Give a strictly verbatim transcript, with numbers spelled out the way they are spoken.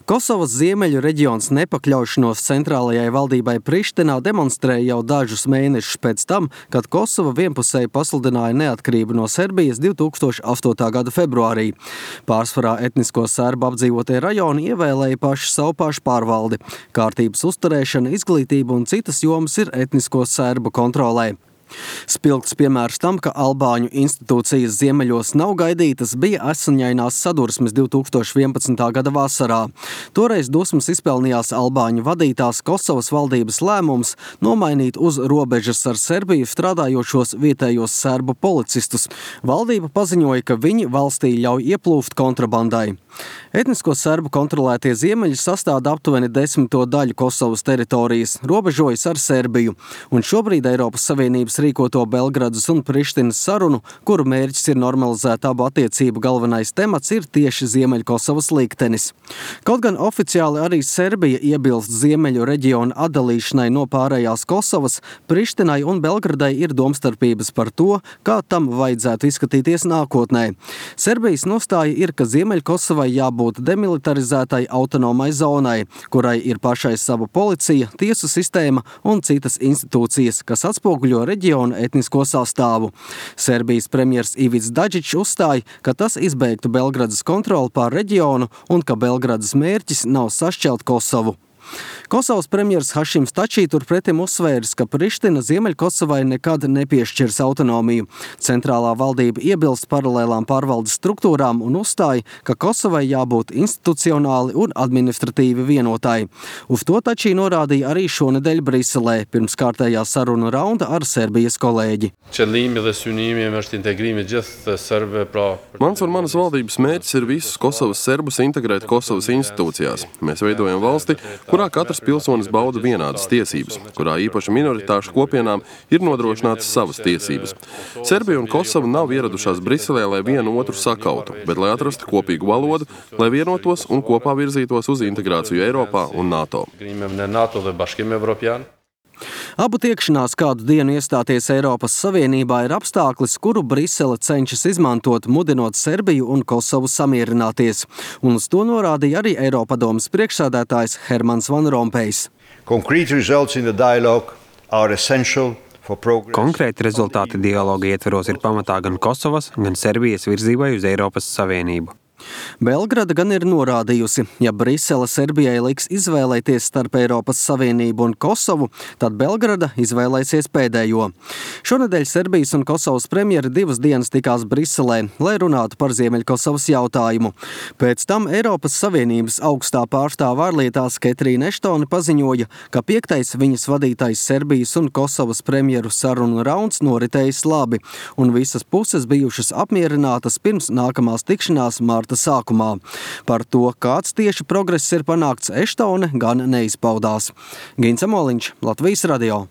Kosovas ziemeļu reģions nepakļaušanos centrālajai valdībai Prištinā demonstrēja jau dažus mēnešus pēc tam, kad Kosova vienpusēji pasludināja neatkarību no Serbijas divtūkstoš astotā gada februārī. Pārsvarā etnisko serbu apdzīvotie rajoni ievēlēja paši savu pašpārvaldi. Kārtības uzturēšana, izglītība un citas jomas ir etnisko serbu kontrolē. Spilgts piemērs tam, ka albāņu institūcijas ziemeļos nav gaidītas, bija asiņainās sadursmes divtūkstoš vienpadsmitā gada vasarā. Toreiz dusmas izpelnījās albāņu vadītās Kosovas valdības lēmums nomainīt uz robežas ar Serbiju strādājošos vietējos serbu policistus. Valdība paziņoja, ka viņi valstī ļauj ieplūst kontrabandai. Etnisko serbu kontrolētie ziemeļi sastāda aptuveni desmito daļu Kosovas teritorijas, robežojas ar Serbiju, un šobrīd Eiropas Savienības rīkoto Belgradas un Prištinas sarunu, kuru mērķis ir normalizēt abu attiecību galvenais temats, ir tieši Ziemeļkosovas liktenis. Kaut gan oficiāli arī Serbija iebilst ziemeļu reģionu atdalīšanai no pārējās Kosovas, Prištinai un Belgradai ir domstarpības par to, kā tam vajadzētu izskatīties nākotnē. Serbijas nostāja ir, ka Ziemeļkosovai jābūt demilitarizētai autonomai zonai, kurai ir pašai sava policija, tiesu sistēma un citas institūcijas, kas atspoguļo reģionu etnisko sastāvu. Serbijas premjers Ivics Dačić uzstāja, ka tas izbeigtu Belgradas kontroli pār reģionu un ka Belgradas mērķis nav sašķelt Kosovu. Kosovas premjers Hašims Tačī turpretim uzsvēris, ka Priština Ziemeļkosovai nekad nepiešķirs autonomiju. Centrālā valdība iebilst paralēlām pārvaldes struktūrām un uzstāja, ka Kosovai jābūt institucionāli un administratīvi vienotai. Uz to Tačī norādīja arī šonedēļ Briselē, pirms kārtējā sarunu raunda ar Serbijas kolēģi. Mans un manas valdības mērķis ir visus Kosovas serbus integrēt Kosovas institūcijās. Mēs veidojam valsti, kurā katrs pilsonis bauda vienādas tiesības, kurā īpaši minoritāšu kopienām ir nodrošinātas savas tiesības. Serbija un Kosova nav ieradušās Briselē, lai vienu otru sakautu, bet lai atrastu kopīgu valodu, lai vienotos un kopā virzītos uz integrāciju Eiropā un NATO. Abu tiekšanās kādu dienu iestāties Eiropas Savienībā ir apstākļis, kuru Brisele cenšas izmantot, mudinot Serbiju un Kosovu samierināties. Un uz to norādīja arī Eiropadomes priekšsēdētājs Hermans Van Rompējs. Konkrēti rezultāti dialoga ietveros ir pamatā gan Kosovas, gan Serbijas virzībai uz Eiropas Savienību. Belgrada gan ir norādījusi, ja Brisele Serbijai liks izvēlēties starp Eiropas Savienību un Kosovu, tad Belgrada izvēlēsies pēdējo. Šonedēļ Serbijas un Kosovas premjeri divas dienas tikās Briselē, lai runātu par Ziemeļkosovas jautājumu. Pēc tam Eiropas Savienības augstā pārstāve ārlietās Ketrīna Eštone paziņoja, ka piektais viņas vadītais Serbijas un Kosovas premjeru sarunu rauns noritējis labi, un visas puses bijušas apmierinātas pirms nākamās tikšanās mārta sākumā. Par to, kāds tieši progress ir panākts, Eštone gan neizpaudās. Gins Amoliņš, Latvijas radio.